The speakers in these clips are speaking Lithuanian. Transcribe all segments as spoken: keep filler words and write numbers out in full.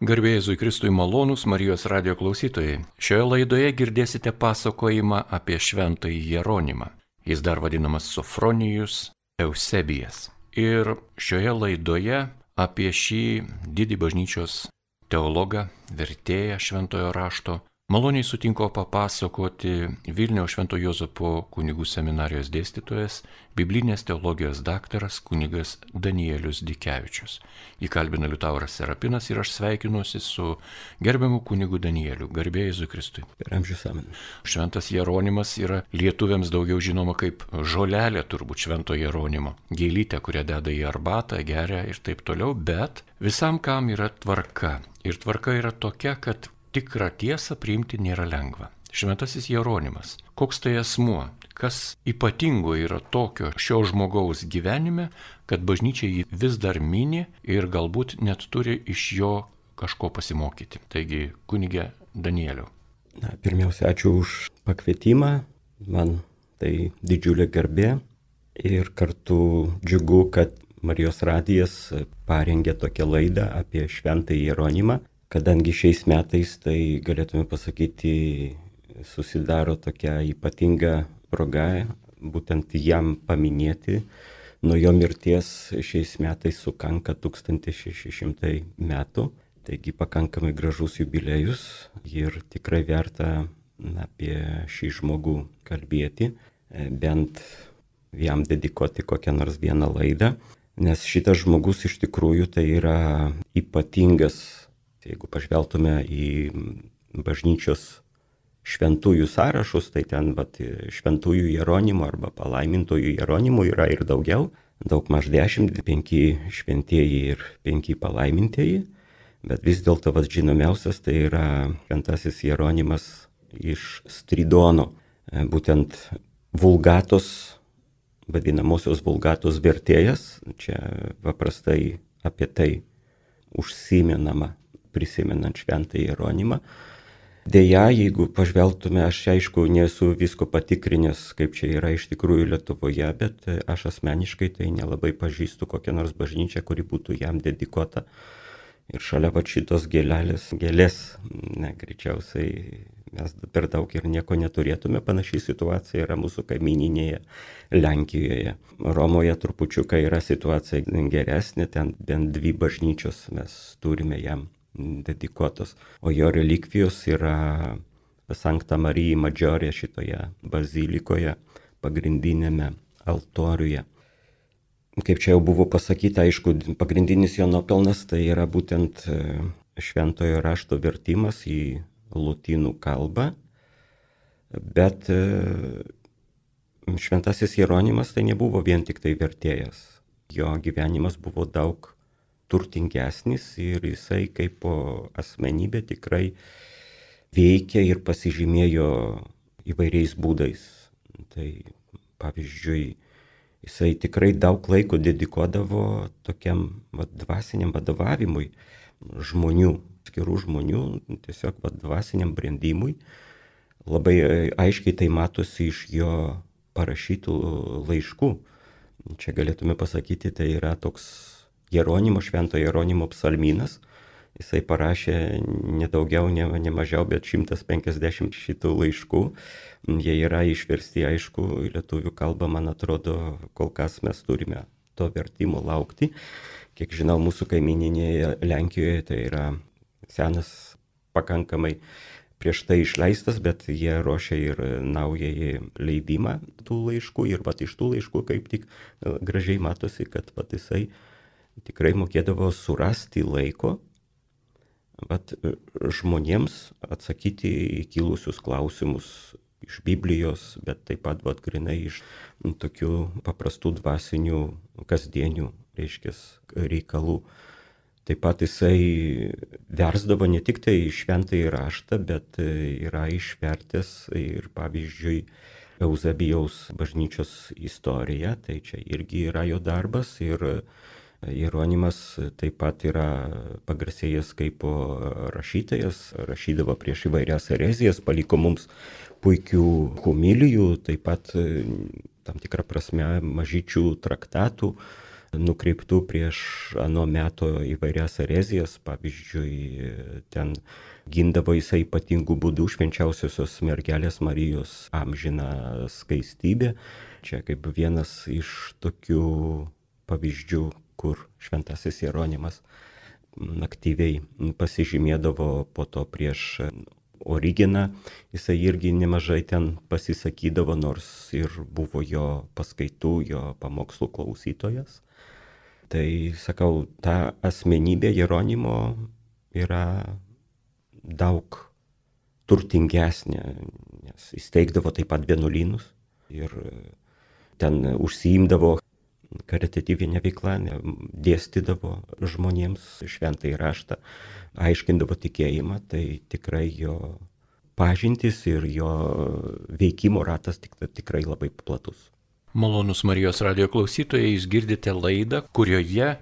Garbė Jėzui Kristui malonūs Marijos radijo klausytojai. Šioje laidoje girdėsite pasakojimą apie šventąjį Jeronimą. Jis dar vadinamas Sofronijus Eusebijas. Ir šioje laidoje apie šį didį bažnyčios teologą, vertėją šventojo rašto, maloniai sutinko papasakoti Vilniaus Švento Juozapo kunigų seminarijos dėstytojas, biblinės teologijos daktaras kunigas Danielius Dikevičius. Jį kalbina Liutauras Serapinas ir aš sveikinuosi su gerbiamu kunigu Danieliu. Garbė Jėzui Kristui. Per amžius amen. Šventas Jeronimas yra lietuviams daugiau žinoma kaip žolelė turbūt švento Jeronimo. Gėlytė, kurią deda į arbatą, geria ir taip toliau, bet visam kam yra tvarka. Ir tvarka yra tokia, kad tikrą tiesą priimti nėra lengva. Šventasis Jeronimas. Koks tai asmuo? Kas ypatingo yra tokio šio žmogaus gyvenime, kad bažnyčia jį vis dar mini ir galbūt net turi iš jo kažko pasimokyti. Taigi, kunige Danieliau. Na, pirmiausia, ačiū už pakvietimą. Man tai didžiulė garbė ir kartu džiugu, kad Marijos radijas parengė tokią laidą apie šventąjį Jeronimą. Kadangi šiais metais, tai galėtume pasakyti, susidaro tokia ypatinga proga, būtent jam paminėti. Nuo jo mirties šiais metais sukanka tūkstantis šeši šimtai metų, taigi pakankamai gražus jubiliejus ir tikrai verta apie šį žmogų kalbėti, bent jam dedikuoti kokią nors vieną laidą, nes šitas žmogus iš tikrųjų tai yra ypatingas. Jeigu pažvelgtume į bažnyčios šventųjų sąrašus, tai ten vat, šventųjų Jeronimų arba palaimintųjų Jeronimų yra ir daugiau, daug maž dešimt, penki šventieji ir penki palaimintieji, bet vis dėlto vat, žinomiausias tai yra šventasis Jeronimas iš Stridono, būtent vulgatos, vadinamosios vulgatos vertėjas, čia paprastai apie tai užsimenama, prisimenant šventą Jeronimą. Deja, jeigu pažvelgtume, aš aišku nesu visko patikrinęs, kaip čia yra iš tikrųjų Lietuvoje, bet aš asmeniškai tai nelabai pažįstu kokią nors bažnyčią, kuri būtų jam dedikuota. Ir šalia va šitos gėlelės, gėlės, ne, greičiausiai mes per daug ir nieko neturėtume. Panašiai situacija yra mūsų kaimyninėje Lenkijoje. Romoje trupučiuką yra situacija geresnė, ten bent dvi bažnyčios mes turime jam dedikuotos, o jo relikvijos yra Sankta Marija Maggiore šitoje bazilikoje, pagrindinėme altoriuje. Kaip čia jau buvo pasakyta, aišku, pagrindinis jo nuopelnas tai yra būtent šventojo rašto vertimas į lotynų kalbą, bet šventasis Jeronimas tai nebuvo vien tik tai vertėjas. Jo gyvenimas buvo daug turtingesnis ir jisai kaip asmenybė tikrai veikia ir pasižymėjo įvairiais būdais. Tai pavyzdžiui, jisai tikrai daug laiko dedikuodavo tokiam va, dvasiniam vadovavimui žmonių, skirų žmonių, tiesiog va, dvasiniam brandimui. Labai aiškiai tai matosi iš jo parašytų laiškų. Čia galėtume pasakyti, tai yra toks Jeronimo, švento Jeronimo psalmynas. Jisai parašė nedaugiau, ne, ne mažiau, bet šimtas penkiasdešimt šitų laiškų. Jie yra išversti, aišku, į lietuvių kalbą, man atrodo, kol kas mes turime to vertimo laukti. Kiek žinau, mūsų kaimyninėje Lenkijoje tai yra senas pakankamai prieš tai išleistas, bet jie ruošia ir naująjį leidimą tų laiškų. Ir pat iš tų laiškų kaip tik gražiai matosi, kad pat jisai tikrai mokėdavo surasti laiko vat, žmonėms atsakyti į kilusius klausimus iš Biblijos, bet taip pat vat, grinai iš tokių paprastų dvasinių kasdienių, reiškia, reikalų. Taip pat jisai versdavo ne tik tai šventąjį raštą, bet yra išvertęs ir pavyzdžiui Eusebijaus bažnyčios istoriją, tai čia irgi yra jo darbas ir Jeronimas taip pat yra pagarsėjęs kaip rašytojas, rašydavo prieš įvairias erezijas, paliko mums puikių homilijų, taip pat tam tikrą prasme mažyčių traktatų nukreiptų prieš ano meto įvairias erezijas. Pavyzdžiui, ten gindavo jisai ypatingų būdų švenčiausiosios mergelės Marijos amžiną skaistybę. Čia kaip vienas iš tokių pavyzdžių, kur šventasis Jeronimas aktyviai pasižymėdavo. Po to prieš Origeną jisai irgi nemažai ten pasisakydavo, nors ir buvo jo paskaitų, jo pamokslų klausytojas. Tai sakau, ta asmenybė Jeronimo yra daug turtingesnė, nes įsteigdavo taip pat vienuolynus ir ten užsiimdavo karitatyvinę veiklą, dėstydavo žmonėms šventąjį raštą, aiškindavo tikėjimą. Tai tikrai jo pažintis ir jo veikimo ratas tik, tikrai labai platus. Malonus Marijos radijo klausytojai, jūs girdite laidą, kurioje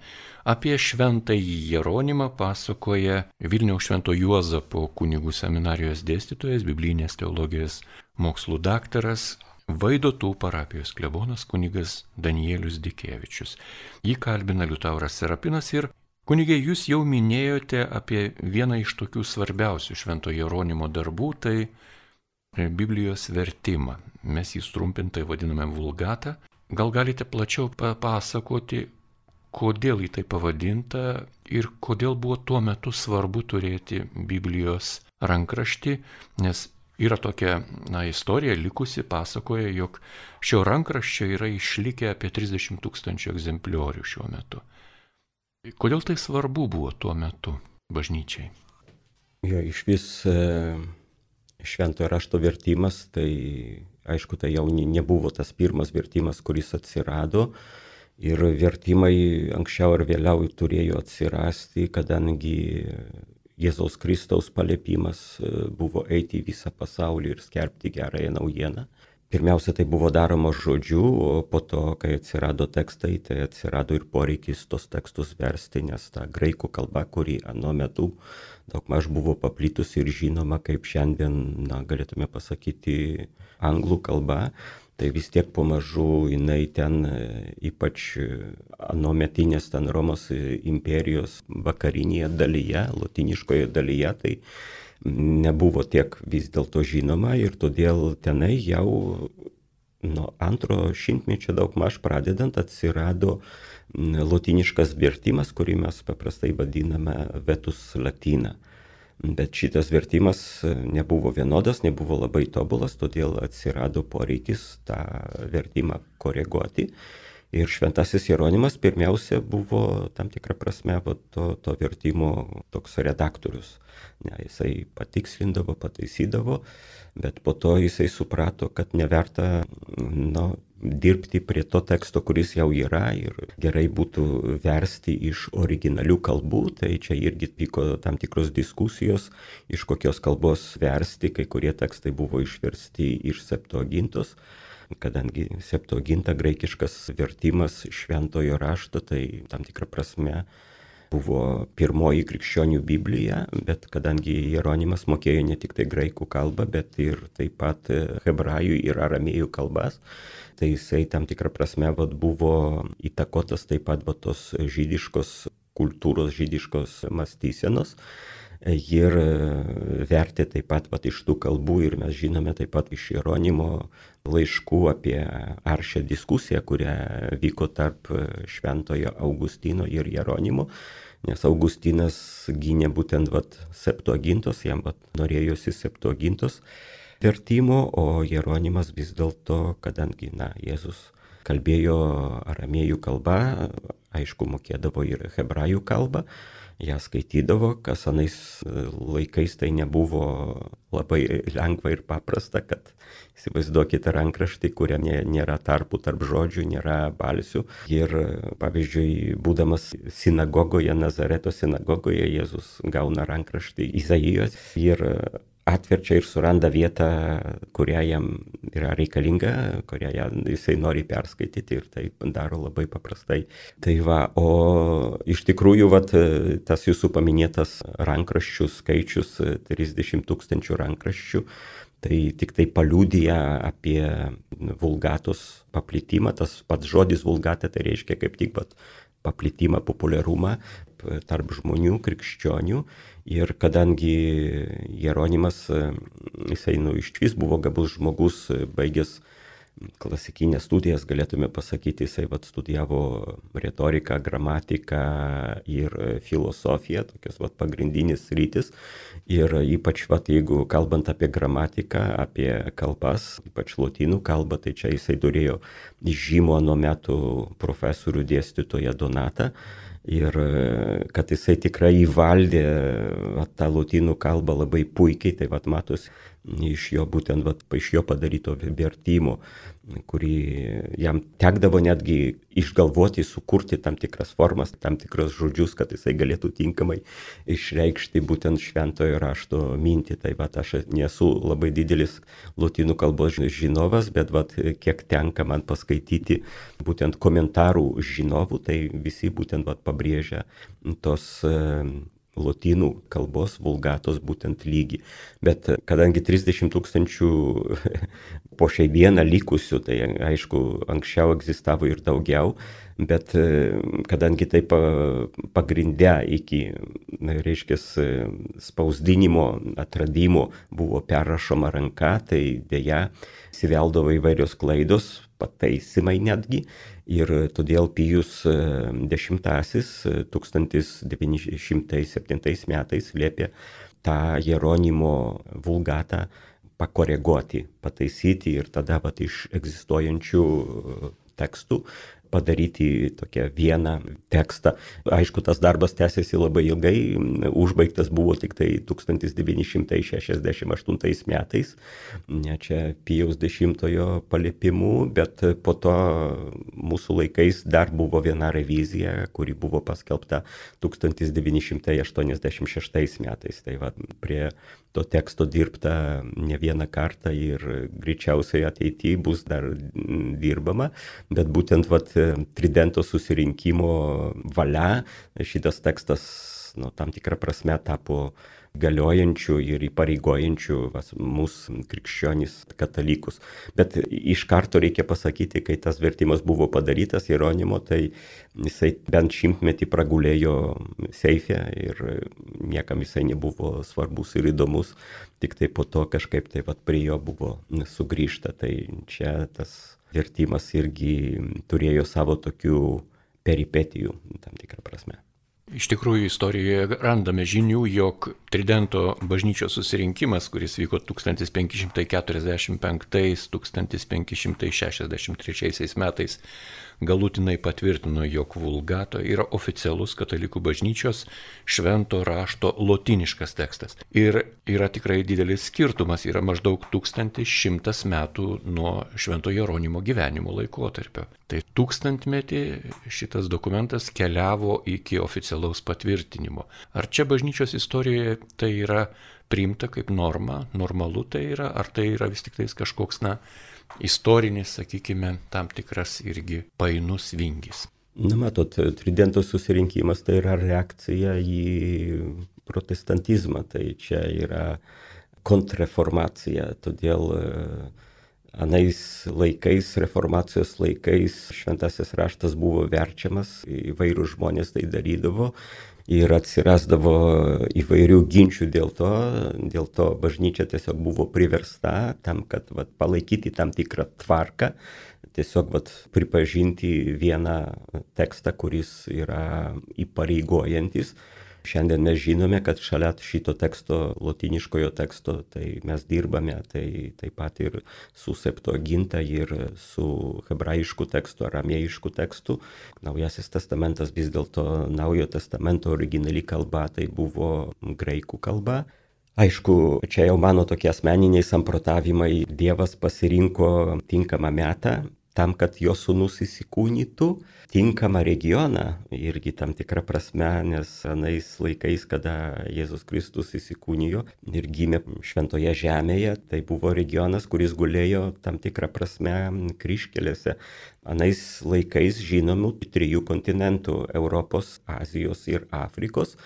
apie šventąjį Jeronimą pasakoja Vilniaus Švento Juozapo kunigų seminarijos dėstytojas, biblinės teologijos mokslų daktaras, Vaidotų parapijos klebonas kunigas Danielius Dikevičius. Jį kalbina Liutauras Serapinas ir kunigė, jūs jau minėjote apie vieną iš tokių svarbiausių Švento Jeronimo darbų, tai Biblijos vertimą. Mes jį trumpintai vadiname vulgatą. Gal galite plačiau papasakoti, kodėl jį tai pavadinta ir kodėl buvo tuo metu svarbu turėti Biblijos rankraštį, nes yra tokia na, istorija likusi, pasakoja, jog šio rankraščio yra išlikę apie trisdešimt tūkstančių egzempliorių šiuo metu. Kodėl tai svarbu buvo tuo metu bažnyčiai? Jo, iš vis šventojo rašto vertimas, tai aišku, tai jau nebuvo tas pirmas vertimas, kuris atsirado. Ir vertimai anksčiau ar vėliau turėjo atsirasti, kadangi Jėzaus Kristaus paliepimas buvo eiti į visą pasaulį ir skelbti gerąją naujieną. Pirmiausia, tai buvo daroma žodžiu, o po to, kai atsirado tekstai, tai atsirado ir poreikis tos tekstus versti, nes ta graikų kalba, kuri anuo metu daugmaž buvo paplitusi ir žinoma, kaip šiandien, na, galėtume pasakyti, anglų kalba, tai vis tiek pamažu jinai ten, ypač anuometinės ten Romos imperijos vakarinėje dalyje, lotyniškoje dalyje, tai nebuvo tiek vis dėlto žinoma ir todėl tenai jau nuo antro šimtmečio daugmaž pradedant atsirado lotyniškas vertimas, kurį mes paprastai vadiname Vetus Latina. Bet šitas vertimas nebuvo vienodas, nebuvo labai tobulas, todėl atsirado poreikis tą vertimą koreguoti. Ir šventasis Jeronimas pirmiausia buvo tam tikrą prasme to, to vertimo toks redaktorius. Ne, jisai patikslindavo, pataisydavo, bet po to jisai suprato, kad neverta nu, dirbti prie to teksto, kuris jau yra ir gerai būtų versti iš originalių kalbų. Tai čia irgi vyko tam tikros diskusijos, iš kokios kalbos versti, kai kurie tekstai buvo išversti iš Septuagintos. Kadangi Septuaginta, graikiškas vertimas šventojo rašto, tai tam tikrą prasme buvo pirmoji krikščionių Biblija, bet kadangi Jeronimas mokėjo ne tik tai graikų kalbą, bet ir taip pat hebrajų ir aramėjų kalbas, tai jisai tam tikrą prasme vat, buvo įtakotas taip pat vat, tos žydiškos kultūros, žydiškos mąstysenos. Ir vertė taip pat vat, iš tų kalbų ir mes žinome taip pat iš Jeronimo laiškų apie aršią diskusiją, kurią vyko tarp šventojo Augustino ir Jeronimo, nes Augustinas gynė būtent vat, Septuagintos, jam vat, norėjosi Septuagintos vertimo, o Jeronimas vis dėlto, kadangi na, Jėzus kalbėjo aramėjų kalba, aišku, mokėdavo ir hebrajų kalbą, ją skaitydavo, kas anais laikais tai nebuvo labai lengva ir paprasta, kad įsivaizduokite rankraštį, kuriame nėra tarpų tarp žodžių, nėra balsių. Ir pavyzdžiui, būdamas sinagogoje, Nazareto sinagogoje, Jėzus gauna rankraštį Izaijos ir atverčia ir suranda vietą, kurią jam yra reikalinga, kurią jisai nori perskaityti ir tai daro labai paprastai. Tai va, o iš tikrųjų, vat, tas jūsų paminėtas rankraščių skaičius, trisdešimt tūkstančių rankraščių, tai tik tai paliudija apie vulgatos paplitimą. Tas pats žodis vulgata tai reiškia kaip tik vat, paplitimą, populiarumą tarp žmonių, krikščionių. Ir kadangi Jeronimas, jisai nu, išvis buvo gabus žmogus, baigęs klasikinės studijas, galėtume pasakyti, jisai vat, studijavo retoriką, gramatiką ir filosofiją, tokios vat, pagrindinės rytis. Ir ypač, vat, jeigu kalbant apie gramatiką, apie kalbas, ypač lotynų kalbą, tai čia jisai turėjo žymo nuo metų profesorių dėstytoją Donatą. Ir kad jisai tikrai įvaldė vat, tą lotynų kalbą labai puikiai, tai vat, matos iš jo būtent vat, iš jo padaryto vertimo, kurį jam tekdavo netgi išgalvoti, sukurti tam tikras formas, tam tikras žodžius, kad jisai galėtų tinkamai išreikšti būtent šventojo rašto mintį. Tai vat, aš nesu labai didelis lotynų kalbos žinovas, bet vat, kiek tenka man paskaityti būtent komentarų žinovų, tai visi būtent vat, pabrėžia tos lotynų kalbos vulgatos būtent lygį. Bet kadangi trisdešimt tūkstančių po šiai dieną likusių, tai aišku, anksčiau egzistavo ir daugiau, bet kadangi tai pagrindę iki, reiškia, spausdinimo atradimo buvo perrašoma ranka, tai dėja įsiveldavo įvairios klaidos, pataisimai netgi. Ir todėl Pijus dešimtasis tūkstantis devyni šimtai septintais metais liepė tą Jeronimo vulgatą pakoreguoti, pataisyti ir tada vat, iš egzistuojančių tekstų padaryti tokią vieną tekstą. Aišku, tas darbas tęsiasi labai ilgai, užbaigtas buvo tik tai tūkstantis devyni šimtai šešiasdešimt aštuntais metais, ne čia Pijaus dešimtojo paliepimu, bet po to mūsų laikais dar buvo viena revizija, kuri buvo paskelbta tūkstantis devyni šimtai aštuoniasdešimt šeštais metais. Tai va, prie to teksto dirbta ne vieną kartą ir greičiausiai ateityje bus dar dirbama, bet būtent vat, Tridento susirinkimo valia šitas tekstas nu, tam tikrą prasme tapo galiojančių ir įpareigojančių mūsų krikščionys katalikus. Bet iš karto reikia pasakyti, kai tas vertimas buvo padarytas Jeronimo, tai jisai bent šimtmetį pragulėjo seife ir niekam jisai nebuvo svarbus ir įdomus, tik tai po to kažkaip tai vat, prie jo buvo sugrįžta. Tai čia tas vertimas irgi turėjo savo tokių peripetijų tam tikrą prasme. Iš tikrųjų, istorijoje randame žinių, jog Tridento bažnyčios susirinkimas, kuris vyko tūkstantis penki šimtai keturiasdešimt penktais - tūkstantis penki šimtai šešiasdešimt trečiais metais, galutinai patvirtino, jog vulgata yra oficialus katalikų bažnyčios švento rašto lotyniškas tekstas. Ir yra tikrai didelis skirtumas, yra maždaug tūkstantis šimtas metų nuo švento Jeronimo gyvenimo laikotarpio. Tai tūkstantmetį šitas dokumentas keliavo iki oficialaus patvirtinimo. Ar čia bažnyčios istorijoje tai yra priimta kaip norma, normalu tai yra, ar tai yra vis tik tais kažkoks, na, istorinis, sakykime, tam tikras irgi painus vingis? Na, matot, Tridento susirinkimas tai yra reakcija į protestantizmą, tai čia yra kontrreformacija, todėl anais laikais, reformacijos laikais, šventasis raštas buvo verčiamas, įvairūs žmonės tai darydavo ir atsirasdavo įvairių ginčių dėl to, dėl to bažnyčia tiesiog buvo priversta tam, kad vat, palaikyti tam tikrą tvarką, tiesiog vat, pripažinti vieną tekstą, kuris yra įpareigojantis. Šiandien mes žinome, kad šalia šito teksto, lotyniškojo teksto, tai mes dirbame tai taip pat ir su Septuaginta ir su hebrajišku tekstu, aramėjišku tekstu. Naujasis testamentas vis dėlto Naujojo testamento originali kalba tai buvo graikų kalba. Aišku, čia jau mano tokie asmeniniai samprotavimai, Dievas pasirinko tinkamą metą tam, kad jo sūnus įsikūnytų, tinkamą regioną irgi tam tikrą prasme, nes anais laikais, kada Jėzus Kristus įsikūnijo ir gimė šventoje žemėje, tai buvo regionas, kuris gulėjo tam tikrą prasme kryžkelėse. Anais laikais žinomų trijų kontinentų - Europos, Azijos ir Afrikos.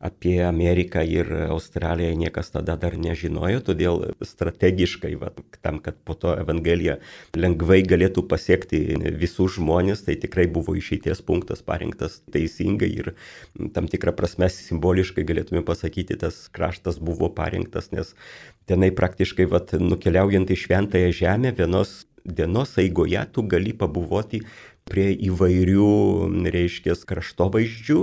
apie Ameriką ir Australiją niekas tada dar nežinojo, todėl strategiškai, va, tam, kad po to Evangelija lengvai galėtų pasiekti visus žmonės, tai tikrai buvo išeities punktas parinktas teisingai ir tam tikrą prasme simboliškai galėtume pasakyti, tas kraštas buvo parinktas, nes tenai praktiškai va, nukeliaujant į Šventąją Žemę vienos dienos eigoje tu gali pabuvoti prie įvairių, reiškia, kraštovaizdžių,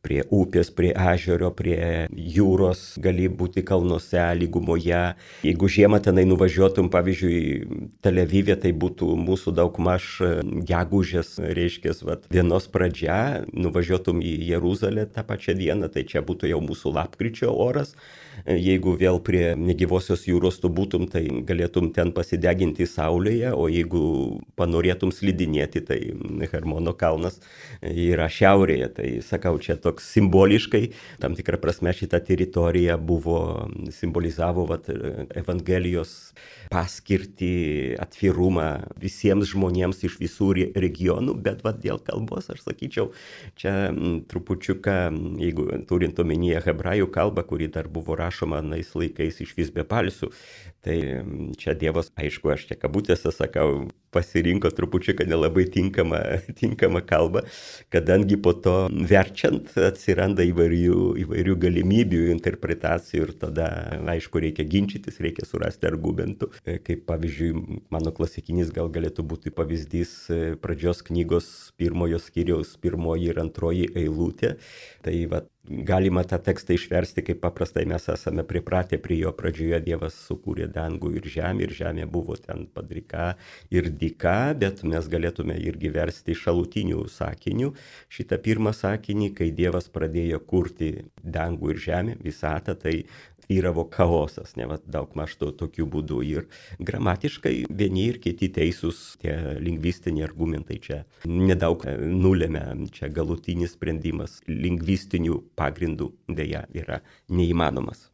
prie upės, prie ežero, prie jūros, gali būti kalnuose, lygumoje. Jeigu žiemą tenai nuvažiuotum, pavyzdžiui, Tel Avive, tai būtų mūsų daugmaž gegužės, reiškia, vat, dienos pradžia, nuvažiuotum į Jeruzalę tą pačią dieną, tai čia būtų jau mūsų lapkričio oras. Jeigu vėl prie negyvosios jūros tu būtum, tai galėtum ten pasideginti saulėje, o jeigu panorėtum slidinėti, tai Hermono kalnas yra šiaurėje. Tai sakau, čia toks simboliškai, tam tikrą prasme šita teritorija buvo, simbolizavo vat, Evangelijos paskirtį, atvirumą visiems žmonėms iš visų regionų, bet vat, dėl kalbos, aš sakyčiau, čia trupučiuką, jeigu turint omenyje hebrajų kalbą, kuri dar buvo rašoma anais laikais iš vis be balsių, tai čia Dievas, aišku, aš čia kabutėse sakau, pasirinko trupučiuką nelabai tinkamą, tinkamą kalbą, kadangi po to verčiant atsiranda įvairių, įvairių galimybių, interpretacijų ir tada, aišku, reikia ginčytis, reikia surasti argumentų. Kaip pavyzdžiui, mano klasikinis gal galėtų būti pavyzdys pradžios knygos pirmojo skyriaus pirmoji ir antroji eilutė. Tai va, galima tą tekstą išversti, kaip paprastai mes esame pripratę prie jo. Pradžioje Dievas sukūrė dangų ir žemę, ir žemė buvo ten padrika ir dyka, bet mes galėtume irgi versti šalutinių sakinių. Šitą pirmą sakinį, kai Dievas pradėjo kurti dangų ir žemę, visatą, tai vyravo chaosas, ne, va, daug maž to tokiu būdu. Ir gramatiškai vieni ir kiti teisūs, tie lingvistiniai argumentai čia nedaug nulėmė, čia galutinis sprendimas lingvistinių pagrindų dėja yra neįmanomas.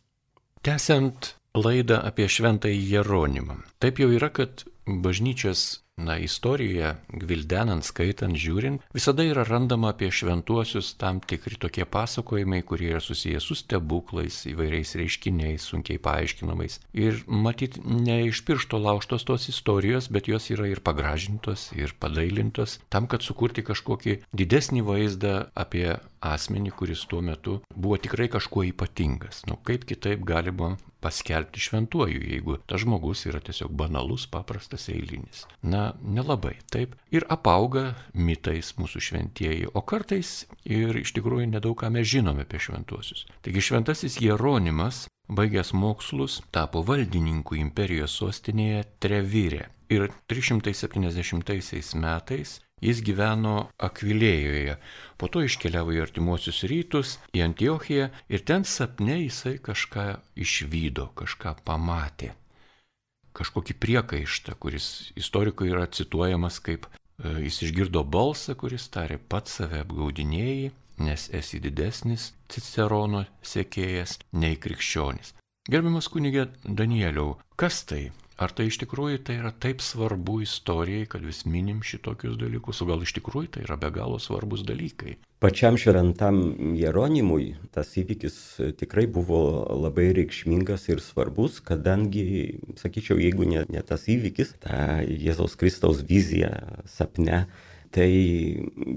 Tęsiant laidą apie Šventąjį Jeronimą. Taip jau yra, kad bažnyčios na, istorijoje, gvildenant, skaitant, žiūrint, visada yra randama apie šventuosius tam tikri tokie pasakojimai, kurie yra susijęs su stebuklais, įvairiais reiškiniais, sunkiai paaiškinamais. Ir matyt, ne iš piršto laužtos tos istorijos, bet jos yra ir pagražintos, ir padailintos, tam, kad sukurti kažkokį didesnį vaizdą apie asmenį, kuris tuo metu buvo tikrai kažkuo ypatingas. Nu, kaip kitaip galima paskelbti šventuoju, jeigu tas žmogus yra tiesiog banalus, paprastas, eilinis. Na, nelabai, taip. Ir apauga mitais mūsų šventieji, o kartais ir iš tikrųjų nedaug ką mes žinome apie šventuosius. Taigi šventasis Jeronimas, baigęs mokslus, tapo valdininku imperijos sostinėje Trevire. Ir trys šimtai septyniasdešimtaisiais metais jis gyveno Akvilėjoje, po to iškeliavo į artimuosius rytus, į Antiochiją ir ten sapne jisai kažką išvydo, kažką pamatė. Kažkokį priekaištą, kuris istorikui yra cituojamas kaip e, jis išgirdo balsą, kuris tarė pats save apgaudinėjai, nes esi didesnis Cicerono sekėjas nei krikščionis. Gerbiamas kunige Danieliau, kas tai? Ar tai iš tikrųjų tai yra taip svarbu istorijai, kad vis minim šitokius dalykus, o gal iš tikrųjų tai yra be galo svarbus dalykai? Pačiam šventam Jeronimui tas įvykis tikrai buvo labai reikšmingas ir svarbus, kadangi, sakyčiau, jeigu ne, ne tas įvykis, ta Jėzaus Kristaus vizija sapne, tai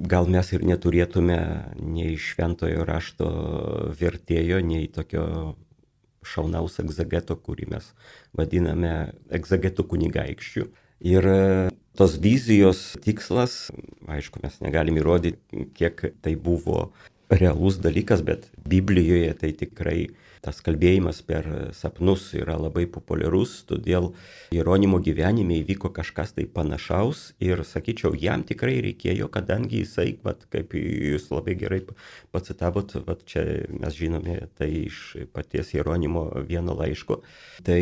gal mes ir neturėtume nei šventojo rašto vertėjo, nei tokio šaunaus egzegeto, kurį mes vadiname egzegetų kunigaikščių. Ir tos vizijos tikslas, aišku, mes negalim įrodyti, kiek tai buvo realus dalykas, bet Biblijoje tai tikrai tas kalbėjimas per sapnus yra labai populiarus, todėl Jeronimo gyvenime įvyko kažkas tai panašaus ir, sakyčiau, jam tikrai reikėjo, kadangi jisai, vat, kaip jūs labai gerai pacitavot, vat, čia mes žinome tai iš paties Jeronimo vieno laiško, tai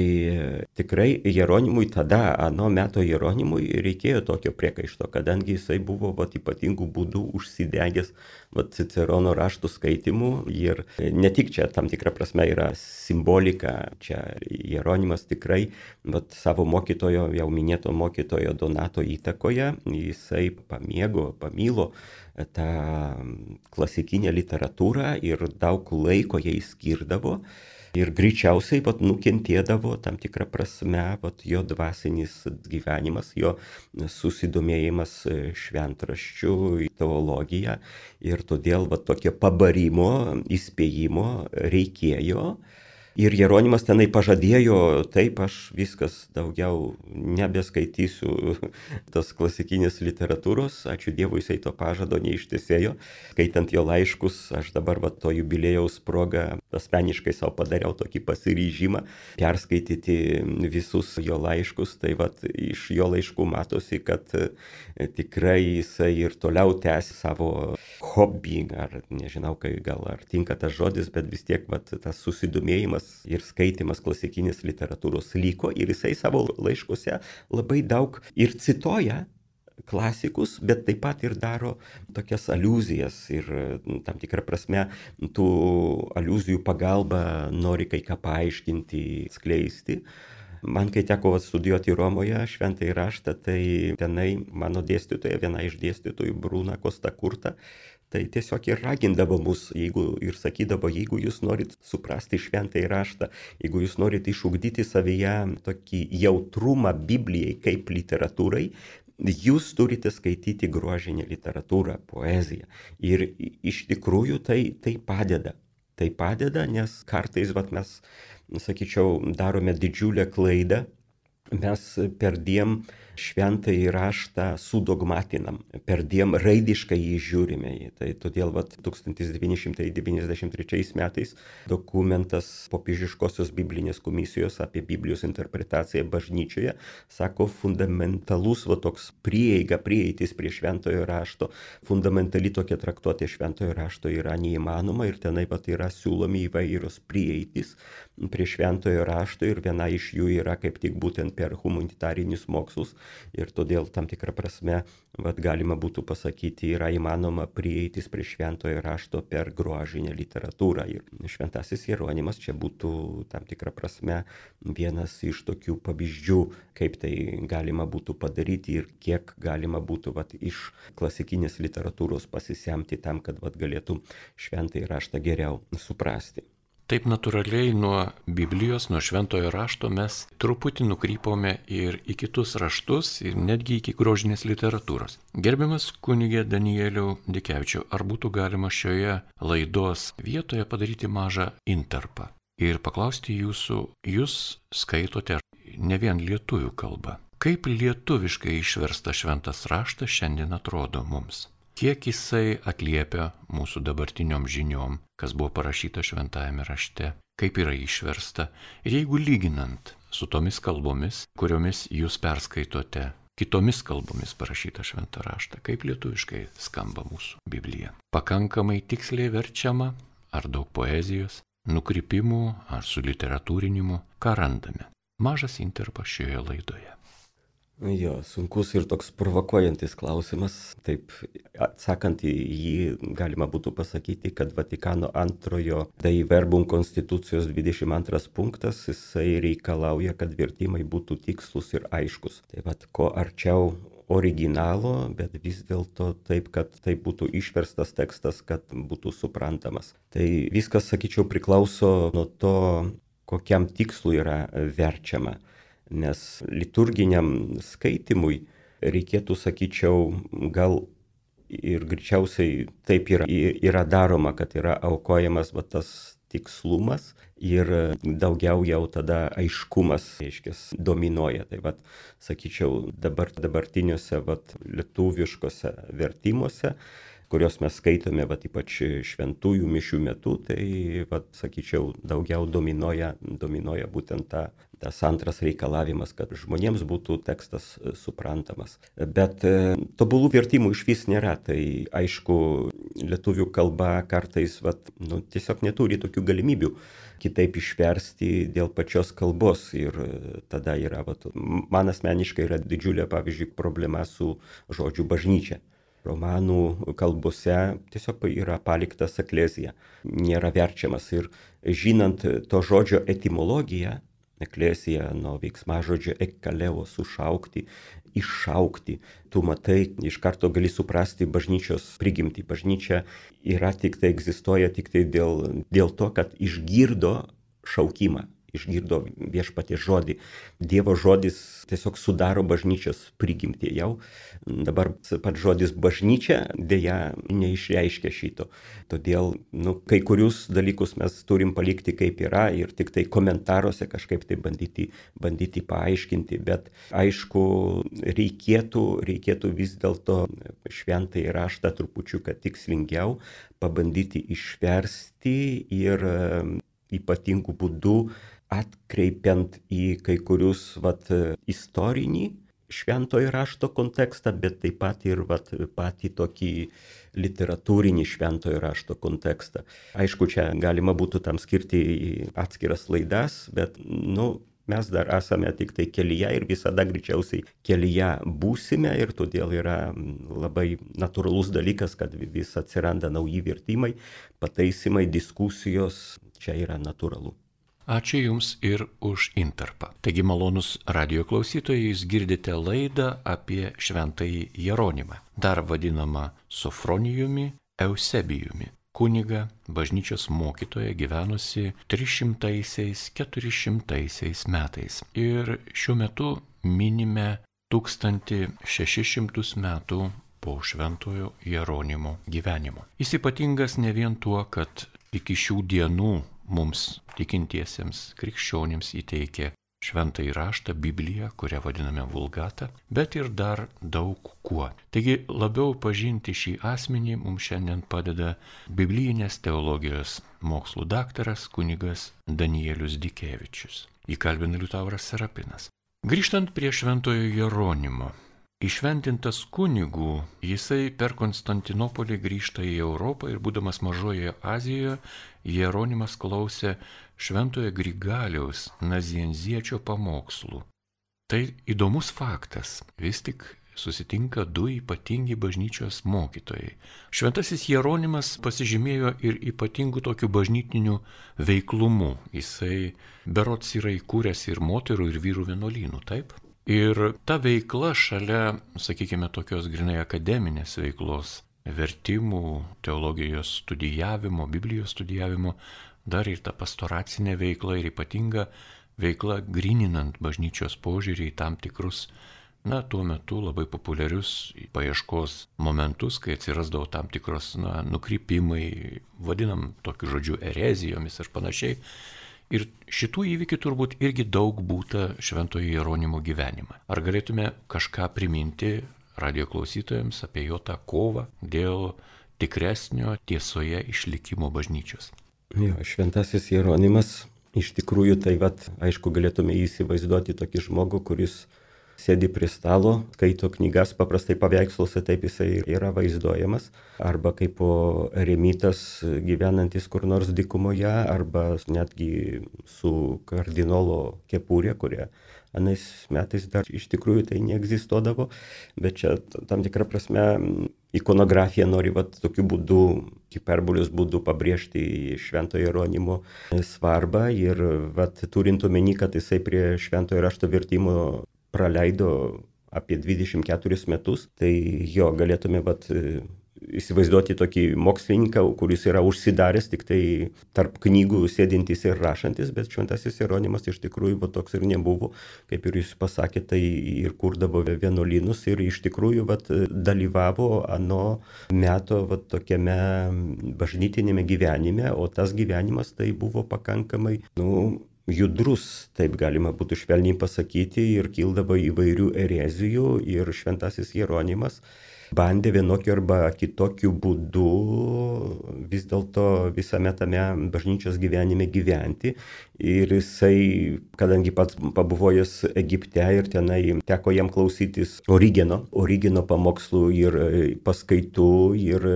tikrai Jeronimui tada, ano meto Jeronimui reikėjo tokio priekaišto, kadangi jisai buvo vat, ypatingų būdų užsidegęs vat, Cicerono raštų skaitimų ir ne tik čia tam tikrą prasme yra simbolika. Čia Jeronimas tikrai, vat, savo mokytojo, jau minėto mokytojo Donato įtakoje, jisai pamėgo, pamilo tą klasikinę literatūrą ir daug laiko jai skirdavo. Ir greičiausiai vat, nukentėdavo tam tikrą prasme vat, jo dvasinis gyvenimas, jo susidomėjimas šventraščių, teologija. Ir todėl vat, tokio pabarimo, įspėjimo reikėjo. Ir Jeronimas tenai pažadėjo, taip, aš viskas daugiau nebeskaitysiu tos klasikinės literatūros, ačiū Dievui, jisai to pažado neištesėjo. Skaitant jo laiškus, aš dabar va, to jubiliejaus proga asmeniškai savo padariau tokį pasiryžimą perskaityti visus jo laiškus. Tai va, iš jo laiškų matosi, kad tikrai jisai ir toliau tęs savo hobį, ar nežinau, kai gal ar tinka tas žodis, bet vis tiek va, tas susidomėjimas ir skaitimas klasikinės literatūros liko, ir jisai savo laiškuose labai daug ir cituoja klasikus, bet taip pat ir daro tokias aliuzijas ir tam tikrą prasme tų aliuzijų pagalba nori kai ką paaiškinti, skleisti. Man, kai teko studijuoti Romoje šventąjį raštą, tai tenai mano dėstytoja, viena iš dėstytojų, Bruna Costa Curta, tai tiesiog ir ragindavo mus, jeigu ir sakydavo, jeigu jūs norit suprasti šventąjį raštą, jeigu jūs norit išugdyti savyje tokį jautrumą Biblijai kaip literatūrai, jūs turite skaityti grožinę literatūrą, poeziją. Ir iš tikrųjų tai, tai padeda. Tai padeda, nes kartais vat, mes, sakyčiau, darome didžiulę klaidą. Mes perdiem šventąjį raštą sudogmatinam, perdiem raidiškai jį žiūrime. Tai todėl vat, tūkstantis devyni šimtai devyniasdešimt trečiais metais dokumentas Popiežiškosios biblinės komisijos apie Biblijos interpretaciją bažnyčioje sako, fundamentalus va, toks prieiga, prieitis prie šventojo rašto, fundamentali tokia traktuotė šventojo rašto yra neįmanoma, ir tenai vat, yra siūlomi įvairios prieitis prie šventojo rašto, ir viena iš jų yra kaip tik būtent per humanitarinius mokslus. Ir todėl tam tikrą prasme vat, galima būtų pasakyti, yra įmanoma prieitis prie šventojo rašto per grožinę literatūrą. Ir šventasis Jeronimas čia būtų tam tikrą prasme vienas iš tokių pavyzdžių, kaip tai galima būtų padaryti ir kiek galima būtų vat, iš klasikinės literatūros pasisemti tam, kad vat, galėtų šventąjį raštą geriau suprasti. Taip natūraliai nuo Biblijos, nuo šventojo rašto mes truputį nukrypome ir į kitus raštus, ir netgi iki grožinės literatūros. Gerbiamas kunigė Danieliau Dikevičiau, ar būtų galima šioje laidos vietoje padaryti mažą intarpą ir paklausti jūsų, jūs skaitote ne vien lietuvių kalbą. Kaip lietuviškai išversta šventas raštas šiandien atrodo mums? Kiek jisai atliepia mūsų dabartiniom žiniom, kas buvo parašyta šventajame rašte, kaip yra išversta, ir jeigu lyginant su tomis kalbomis, kuriomis jūs perskaitote, kitomis kalbomis parašytą šventą raštą, kaip lietuviškai skamba mūsų Biblija. Pakankamai tiksliai verčiama, ar daug poezijos, nukrypimų, ar suliteratūrinimų, ką randame. Mažas intarpas šioje laidoje. Jo, sunkus ir toks provokuojantis klausimas. Taip, atsakant į jį, galima būtų pasakyti, kad Vatikano antrojo Dei Verbum konstitucijos dvidešimt antras punktas, jisai reikalauja, kad vertimai būtų tikslus ir aiškus. Tai vat, ko arčiau originalo, bet vis dėlto taip, kad tai būtų išverstas tekstas, kad būtų suprantamas. Tai viskas, sakyčiau, priklauso nuo to, kokiam tikslu yra verčiama. Nes liturginiam skaitimui reikėtų, sakyčiau, gal ir greičiausiai taip yra, yra daroma, kad yra aukojamas va, tas tikslumas ir daugiau jau tada aiškumas, reiškia, dominuoja. Tai vat, sakyčiau, dabar dabartiniuose vat, lietuviškose vertimuose, kurios mes skaitome, vat, ypač šventųjų mišių metu, tai, vat, sakyčiau, daugiau dominuoja, dominuoja būtent ta, tas antras reikalavimas, kad žmonėms būtų tekstas suprantamas. Bet e, tobulų vertimų iš vis nėra. Tai aišku, lietuvių kalba kartais vat, nu, tiesiog neturi tokių galimybių kitaip išversti dėl pačios kalbos. Ir tada yra, vat, man asmeniškai yra didžiulė, pavyzdžiui, problema su žodžiu bažnyčia. Romanų kalbose tiesiog yra paliktas eklezija, nėra verčiamas ir žinant to žodžio etimologiją, eklezija nuo veiksmažodžio ekkaleo sušaukti, iššaukti, tu matai, iš karto gali suprasti bažnyčios prigimtį. Bažnyčia yra tik tai, egzistuoja tik tai dėl, dėl to, kad išgirdo šaukimą, išgirdo viešpaties žodį. Dievo žodis tiesiog sudaro bažnyčios prigimtį jau. Dabar pats žodis bažnyčia dėja neišreiškia šito. Todėl nu, kai kurius dalykus mes turim palikti kaip yra ir tik tai komentaruose kažkaip tai bandyti, bandyti paaiškinti. Bet aišku, reikėtų, reikėtų vis dėlto šventąjį raštą trupučiuką tikslingiau pabandyti išversti ir ypatingų būdų atkreipiant į kai kurius vat, istorinį šventojo rašto kontekstą, bet taip pat ir vat, patį tokį literatūrinį šventojo rašto kontekstą. Aišku, čia galima būtų tam skirti atskiras laidas, bet nu, mes dar esame tik tai kelyje ir visada greičiausiai kelyje būsime ir todėl yra labai natūralus dalykas, kad vis atsiranda nauji vertimai, pataisimai, diskusijos, čia yra natūralu. Ačiū Jums ir už intarpą. Taigi, malonus radio klausytojai, Jūs girdite laidą apie šventąjį Jeronimą, dar vadinamą Sofronijumi Eusebijumi, kunigą, bažnyčios mokytoją gyvenusi trišimtaisiais keturišimtaisiais metais. Ir šiuo metu minime tūkstantį šešis šimtus metų po šventojo Jeronimo gyvenimo. Jis ypatingas ne vien tuo, kad iki šių dienų mums tikintiesiems krikščionims įteikė šventąjį raštą, Bibliją, kurią vadiname Vulgata, bet ir dar daug kuo. Taigi labiau pažinti šį asmenį mums šiandien padeda biblijinės teologijos mokslų daktaras kunigas Danielius Dikevičius. Įkalbina Liutauras Serapinas. Grįžtant prie šventojo Jeronimo. Įšventintas kunigų, jisai per Konstantinopolį grįžta į Europą ir būdamas Mažojoje Azijoje, Jeronimas klausė šventojo Grigaliaus Nazianziečio pamokslų. Tai įdomus faktas, vis tik susitinka du ypatingi bažnyčios mokytojai. Šventasis Jeronimas pasižymėjo ir ypatingų tokių bažnytinių veiklumų. Jisai berods yra įkūręs ir moterų, ir vyrų vienuolynų, taip? Ir ta veikla šalia, sakykime, tokios grinai akademinės veiklos, vertimų, teologijos studijavimo, Biblijos studijavimo, dar ir ta pastoracinė veikla ir ypatinga veikla gryninant bažnyčios požiūrį į tam tikrus, na, tuo metu labai populiarius paieškos momentus, kai atsirasdavo tam tikros, na, nukrypimai, vadinam tokiu žodžiu erezijomis ir panašiai. Ir šitų įvykių turbūt irgi daug būta šventojo Jeronimo gyvenimą. Ar galėtume kažką priminti radio klausytojams apie jo tą kovą dėl tikresnio tiesoje išlikimo bažnyčios? Jo, šventasis Jeronimas, iš tikrųjų tai vat, aišku, galėtume įsivaizduoti tokį žmogų, kuris sėdi prie stalo, skaito knygas, paprastai paveiksluose taip jisai yra vaizduojamas, arba kaip eremitas gyvenantis kur nors dykumoje, arba netgi su kardinolo kepurė, kurie anais metais dar iš tikrųjų tai neegzistuodavo, bet čia tam tikrą prasme ikonografija nori vat, tokiu būdu, hiperbolijos būdu pabrėžti šventojo Jeronimo svarbą ir vat, turint omeny, kad jisai prie šventojo rašto vertimo praleido apie dvidešimt keturis metus, tai jo galėtume vat, įsivaizduoti tokį mokslininką, kuris yra užsidaręs tik tai tarp knygų sėdintis ir rašantis, bet šventasis Jeronimas iš tikrųjų va, toks ir nebuvo, kaip ir jūs pasakė, tai ir kurdavo vienuolynus ir iš tikrųjų vat, dalyvavo ano meto vat, tokiame bažnytinėme gyvenime, o tas gyvenimas tai buvo pakankamai, nu, judrus, taip galima būtų švelniai pasakyti, ir kildavo įvairių erezijų ir šventasis Jeronimas bandė vienokiu arba kitokiu būdu vis dėlto visame tame bažnyčios gyvenime gyventi. Ir jisai, kadangi pats pabuvojęs Egipte ir tenai teko jam klausytis Origeno, Origeno pamokslų ir paskaitų ir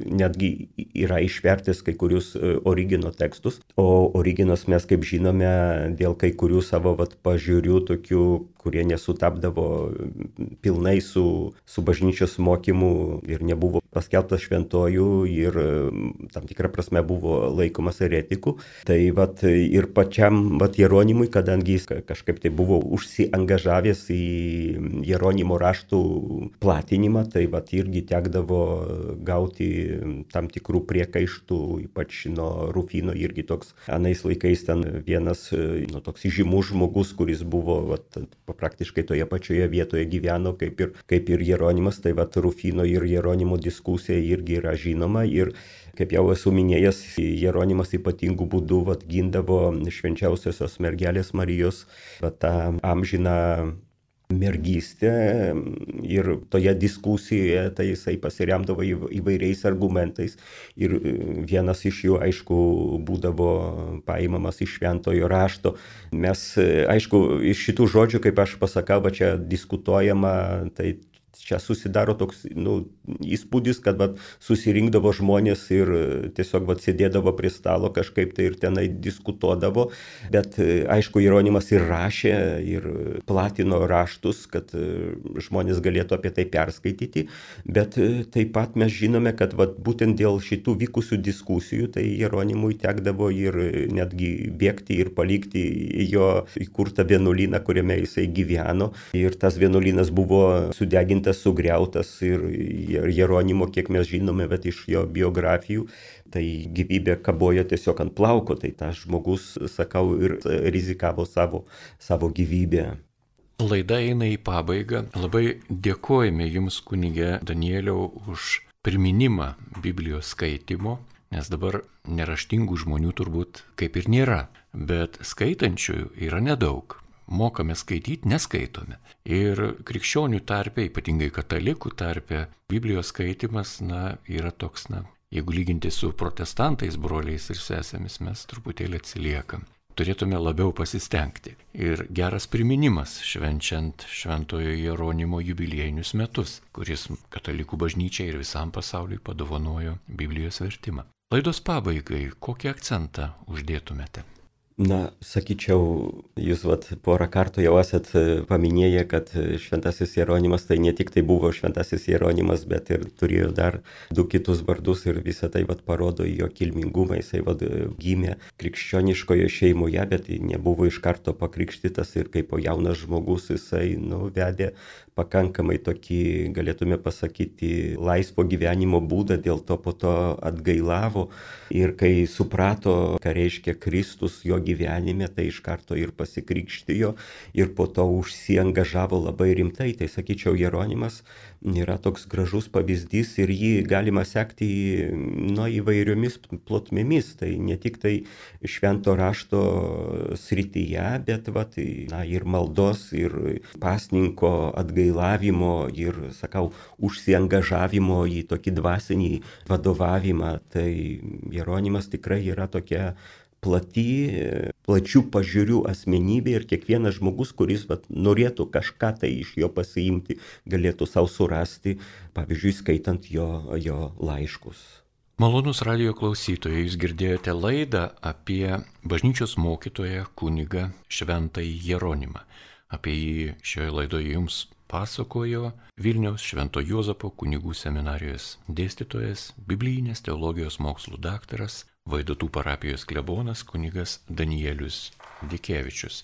netgi yra išvertęs kai kurius Origeno tekstus. O Origenas mes, kaip žinome, dėl kai kurių savo vat, pažiūrių tokių kurie nesutapdavo pilnai su, su bažnyčios mokymu ir nebuvo paskelbtas šventojų ir tam tikrą prasme buvo laikomas eretiku. Tai vat ir pačiam vat Jeronimui, kadangi jis kažkaip tai buvo užsiangažavęs į Jeronimo raštų platinimą, tai vat irgi tekdavo gauti tam tikrų priekaištų, ypač nuo Rufino, irgi toks anais laikais ten vienas nu, toks žymus žmogus, kuris buvo vat, praktiškai toje pačioje vietoje gyveno kaip ir, kaip ir Jeronimas, tai vat Rufino ir Jeronimo diskusija irgi yra žinoma ir kaip jau esu minėjęs, Jeronimas ypatingų būdų vat, gindavo švenčiausiosios mergelės Marijos vat, tą amžiną mergystę ir toje diskusijoje tai jisai pasiremdavo įvairiais argumentais ir vienas iš jų, aišku, būdavo paimamas iš šventojo rašto. Mes, aišku, iš šitų žodžių, kaip aš pasakau, va čia diskutuojama, tai čia susidaro toks nu, įspūdis, kad vat, susirinkdavo žmonės ir tiesiog vat, sėdėdavo prie stalo kažkaip tai ir tenai diskutuodavo, bet aišku, Jeronimas ir rašė ir platino raštus, kad žmonės galėtų apie tai perskaityti, bet taip pat mes žinome, kad vat, būtent dėl šitų vykusių diskusijų, tai Jeronimui tekdavo ir netgi bėgti ir palikti jo įkurtą vienuolyną, kuriame jisai gyveno ir tas vienuolynas buvo sudegintas, sugriautas ir Jeronimo, kiek mes žinome, bet iš jo biografijų, tai gyvybė kabojo tiesiog ant plauko, tai tas žmogus, sakau, ir rizikavo savo, savo gyvybę. Laida eina į pabaigą. Labai dėkojame Jums, kunige Danieliau, už priminimą Biblijos skaitimo, nes dabar neraštingų žmonių turbūt kaip ir nėra, bet skaitančiųjų yra nedaug. Mokame skaityti, neskaitome. Ir krikščionių tarpe, ypatingai katalikų tarpe, Biblijos skaitimas, na, yra toks, na, jeigu lyginti su protestantais, broliais ir sesėmis, mes truputėlį atsiliekam. Turėtume labiau pasistengti. Ir geras priminimas švenčiant Šventojo Jeronimo jubiliejinius metus, kuris katalikų bažnyčiai ir visam pasauliui padovanojo Biblijos vertimą. Laidos pabaigai, kokį akcentą uždėtumėte? Na, sakyčiau, jūs vat, porą kartų jau esat paminėję, kad šventasis Jeronimas tai ne tik tai buvo šventasis Jeronimas, bet ir turėjo dar du kitus vardus ir visą tai vat, parodo jo kilmingumą. Jisai vat, gimė krikščioniškoje šeimoje, bet nebuvo iš karto pakrikštytas ir kaip jaunas žmogus jisai nu, vedė pakankamai tokį, galėtume pasakyti, laisvo gyvenimo būdą, dėl to po to atgailavo ir kai suprato, ką reiškia Kristus jo gyvenime, tai iš karto ir pasikrikštijo ir po to užsiangažavo labai rimtai. Tai sakyčiau, Jeronimas yra toks gražus pavyzdys ir jį galima sekti nu, įvairiomis plotmėmis. Tai ne tik tai švento rašto srityje, bet vat, na, ir maldos, ir pasninko atgailavimo, ir, sakau, užsiangažavimo į tokį dvasinį vadovavimą. Tai Jeronimas tikrai yra tokia plati, plačių pažiūrių asmenybė ir kiekvienas žmogus, kuris vat, norėtų kažką tai iš jo pasiimti, galėtų savo surasti, pavyzdžiui, skaitant jo, jo laiškus. Malonus radijo klausytojai, jūs girdėjote laidą apie bažnyčios mokytoją kunigą Šventąjį Jeronimą. Apie jį šioje laidoje jums pasakojo Vilniaus Švento Juozapo kunigų seminarijos dėstytojas, biblijinės teologijos mokslų daktaras, Vaidotų parapijos klebonas kunigas Danielius Dikevičius.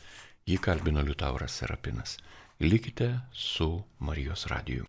Jį kalbino Liutauras Serapinas. Likite su Marijos radiju.